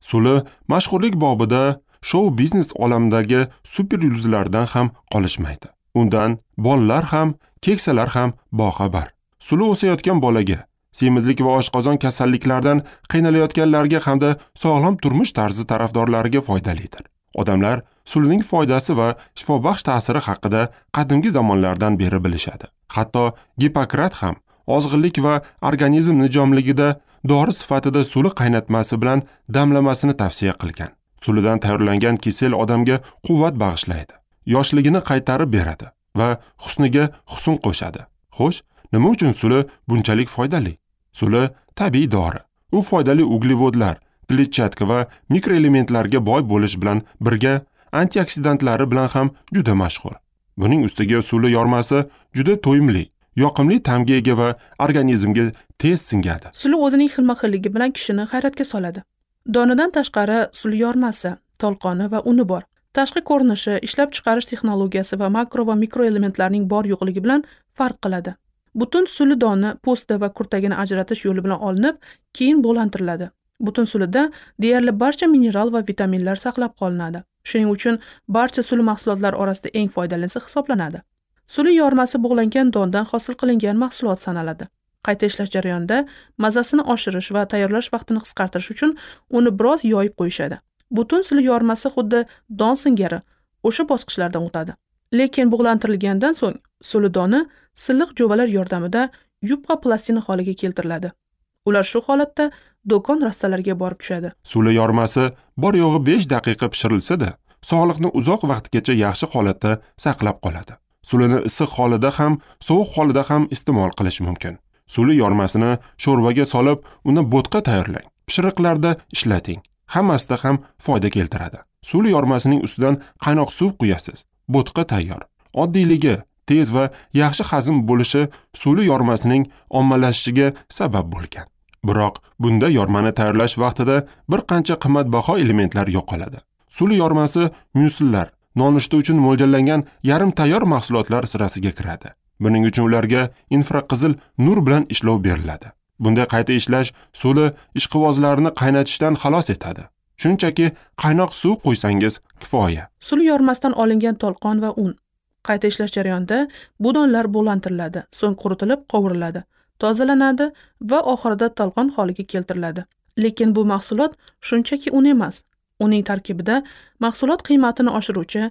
Suli mashhurlik bobida shou-biznes olamidagi super yulduzlardan ham qolishmaydi. Undan bolalar ham, keksalar ham boxabar. Suli o'sayotgan bolaga, semizlik va oshqozon kasalliklaridan qiynalayotganlarga hamda sog'lom turmush tarzi tarafdorlariga foydalidir. Odamlar sulining foydasi va shifobaxsh ta'siri haqida qadimgi zamonlardan beri bilishadi. Hatto Gippokrat ham ozg'inlik va organizm nijomligida dori sifatida suli qaynatmasi bilan damlamasini tavsiya qilgan. Sulidan tayyorlangan kisel odamga quvvat bag'ishlaydi, yoshligini qaytarib beradi va husniga husn qo'shadi. Xo'sh, nima uchun suli bunchalik foydali? Suli tabiiy dori. U foydali uglevodlar, kletchatka va mikroelementlarga boy bo'lish bilan birga antioksidantlari bilan ham juda mashhur. Buning ustiga suli yormasi juda to'yimli, yoqimli ta'mga ega va organizmga tez singadi. Suli o'zining xilma-xilligi bilan kishini hayratga soladi. Donidan tashqari suli yormasi, tolqoni va uni bor. Tashqi ko'rinishi, ishlab chiqarish texnologiyasi va makro va mikroelementlarning bor yo'qligi bilan farq qiladi. Butun suli doni po'sti va kurtagini ajratish yo'li bilan olinib, keyin bug'lantiriladi. Butun sulida deyarli barcha mineral va vitaminlar saqlab qolinadi. Shuning uchun barcha suli mahsulotlari orasida eng foydalisi hisoblanadi. Suli yormasi bug'langan dondan hosil qilingan mahsulot sanaladi. Qayta ishlash jarayonida mazasini oshirish va tayyorlash vaqtini qisqartirish uchun uni biroz yoyib qo'yishadi. Butun suli yormasi xuddi don singari o'sha bosqichlardan o'tadi. Lekin bug'lantirilgandan so'ng suli doni silliq jo'valar yordamida yupqa plastina holiga keltiriladi. Ular shu holatda do'kon rastalariga borib tushadi. Suli yormasi bor yo'g'i 5 daqiqa pishirilsa-da, sog'liqni uzoq vaqtgacha yaxshi holatda saqlab qoladi. Sulini issiq holida ham, sovuq holida ham iste'mol qilish mumkin. Suli yormasini sho'rvaga solib, uni bo'tqa tayyorlang. Pishiriqlarda ishlating. Hammasida ham foyda keltiradi. Suli yormasining ustidan qaynoq suv quyasiz. Bo'tqa tayyor. Oddiyligi, tez va yaxshi hazm bo'lishi suli yormasining ommalashishiga sabab bo'lgan. Biroq bunda yormani tayyorlash vaqtida bir qancha qimmatbaho elementlar yo'qoladi. Suli yormasi myusllar, nonushta uchun mo'ljallangan yarim tayyor mahsulotlar sirasiga kiradi. Buning uchun ularga infraqizil nur bilan ishlov beriladi. Bunday qayta ishlash suli ishqivozlarini qaynatishdan xalos etadi. Shunchaki qaynoq suv quysangiz kifoya. Suli yormasidan olingan tolqon va un. Qayta ishlash jarayonida bu donlar bug'lantiriladi, so'ng quritilib qovuriladi, tozalanadi va oxirida tolqon holiga keltiriladi. Lekin bu mahsulot shunchaki un emas. Uning tarkibida mahsulot qiymatini oshiruvchi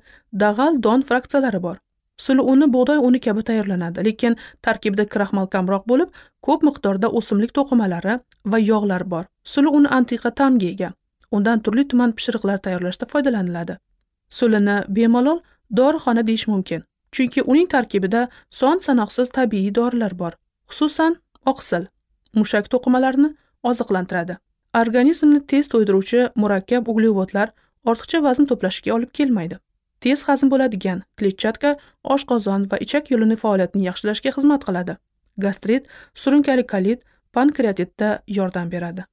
dag'al don fraksiyalari bor. Suli uni bug'doy uni kabi tayyorlanadi, lekin tarkibida kraxmal kamroq bo'lib, ko'p miqdorda o'simlik to'qimalari va yog'lar bor. Suli uni antiqa ta'mga ega. Undan turli tuman pishiriqlar tayyorlashda foydalaniladi. Sulini bemalol dorixona deyish mumkin, chunki uning tarkibida son-sanoqsiz tabiiy dorilar bor. Xususan, oqsil mushak to'qimalarini oziqlantiradi. Organizmni tez to'ydiruvchi murakkab uglevodlar ortiqcha vazn to'plashga olib kelmaydi. Tez hazm bo'ladigan kletchatka oshqozon va ichak yo'lini faoliyatini yaxshilashga xizmat qiladi. Gastrit, surunkali kolit, pankreatitda yordam beradi.